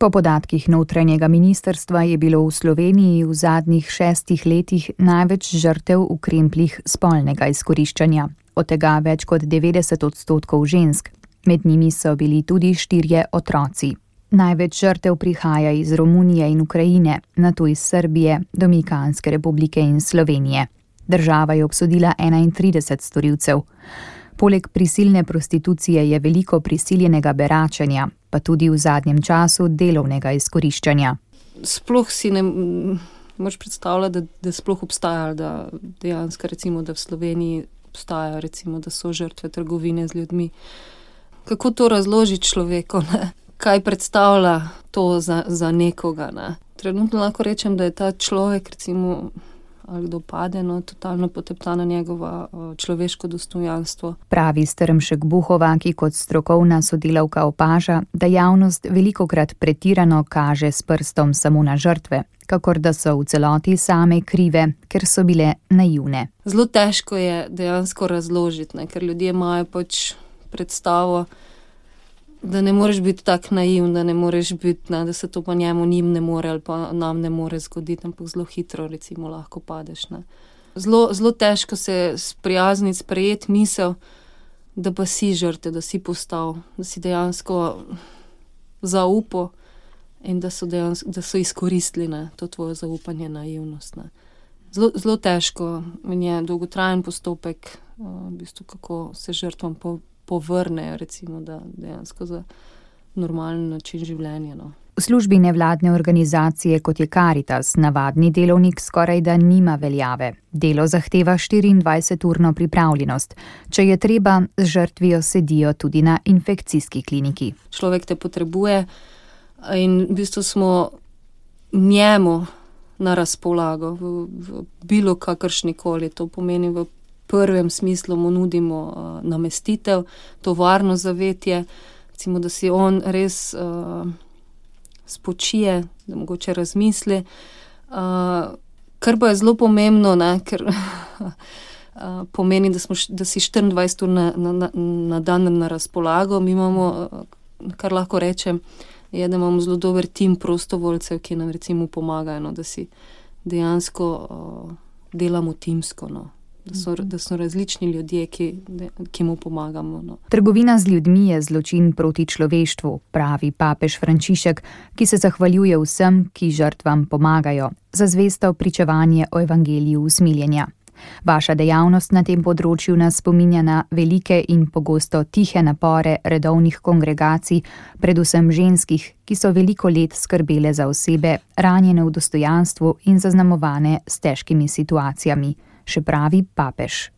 Po podatkih notranjega ministrstva je bilo v Sloveniji v zadnjih 6 letih največ žrtev v krempljih spolnega izkoriščanja, od tega več kot 90% žensk. Med njimi so bili tudi 4 otroci. Največ žrtev prihaja iz Romunije in Ukrajine, nato iz Srbije, Dominikanske republike in Slovenije. Država je obsodila 31 storilcev. Poleg prisilne prostitucije je veliko prisiljenega beračenja, pa tudi v zadnjem času delovnega izkoriščanja. Sploh si ne moč predstavljati, da sploh obstaja, da dejansko recimo, da v Sloveniji obstaja, recimo, da so žrtve trgovine z ljudmi. Kako to razložiti človeku, ne? Kaj predstavlja to za nekoga, ne? Trenutno lahko rečem, da je ta človek, recimo, ali kdo pade, totalno poteptana njegova človeško dostojanstvo. Pravi Strmšek Buhova, ki kot strokovna sodelavka opaža, da javnost velikokrat pretirano kaže s prstom samo na žrtve, kakor da so v celoti same krive, ker so bile naivne. Zelo težko je dejansko razložiti, ne? Ker ljudje imajo pač predstavo, da ne moreš biti tak naivn, da ne moreš biti, ne, da se to pa njim ne more ali pa nam ne more zgoditi, ampak zelo hitro recimo lahko padeš. Ne. Zelo težko se sprijazniti, sprejeti misel, da pa si žrtev, da si postal, da si dejansko zaupal in da so izkoristili, ne, to tvoje zaupanje, naivnost. Ne. Zelo težko in je dolgotrajen postopek, v bistvu, kako se žrtvam povrnejo, recimo, da dejansko za normalen način življenja. No. V službi nevladne organizacije, kot je Karitas, navadni delovnik skorajda nima veljave. Delo zahteva 24-urno pripravljenost. Če je treba, z žrtvijo sedijo tudi na infekcijski kliniki. Človek te potrebuje in v bistvu smo njemu na razpolago v bilo kakršnikoli. To pomeni v prvem smislu mu nudimo namestitev, to varno zavetje, recimo, da si on res spočije, da mogoče razmisli. Kar pa je zelo pomembno, ne, ker pomeni, da si 24 ur na dan na razpolago. Mi imamo, kar lahko rečem, je, da imamo zelo dober tim prostovoljcev, ki nam recimo pomagajo, no, da si dejansko delamo timsko, no. Da so različni ljudje, ki mu pomagamo. No. Trgovina z ljudmi je zločin proti človeštvu, pravi papež Frančišek, ki se zahvaljuje vsem, ki žrtvam pomagajo, za zvesto pričevanje o evangeliju usmiljenja. Vaša dejavnost na tem področju nas spominja na velike in pogosto tihe napore redovnih kongregacij, predvsem ženskih, ki so veliko let skrbele za osebe, ranjene v dostojanstvu in zaznamovane s težkimi situacijami. Še pravi papež.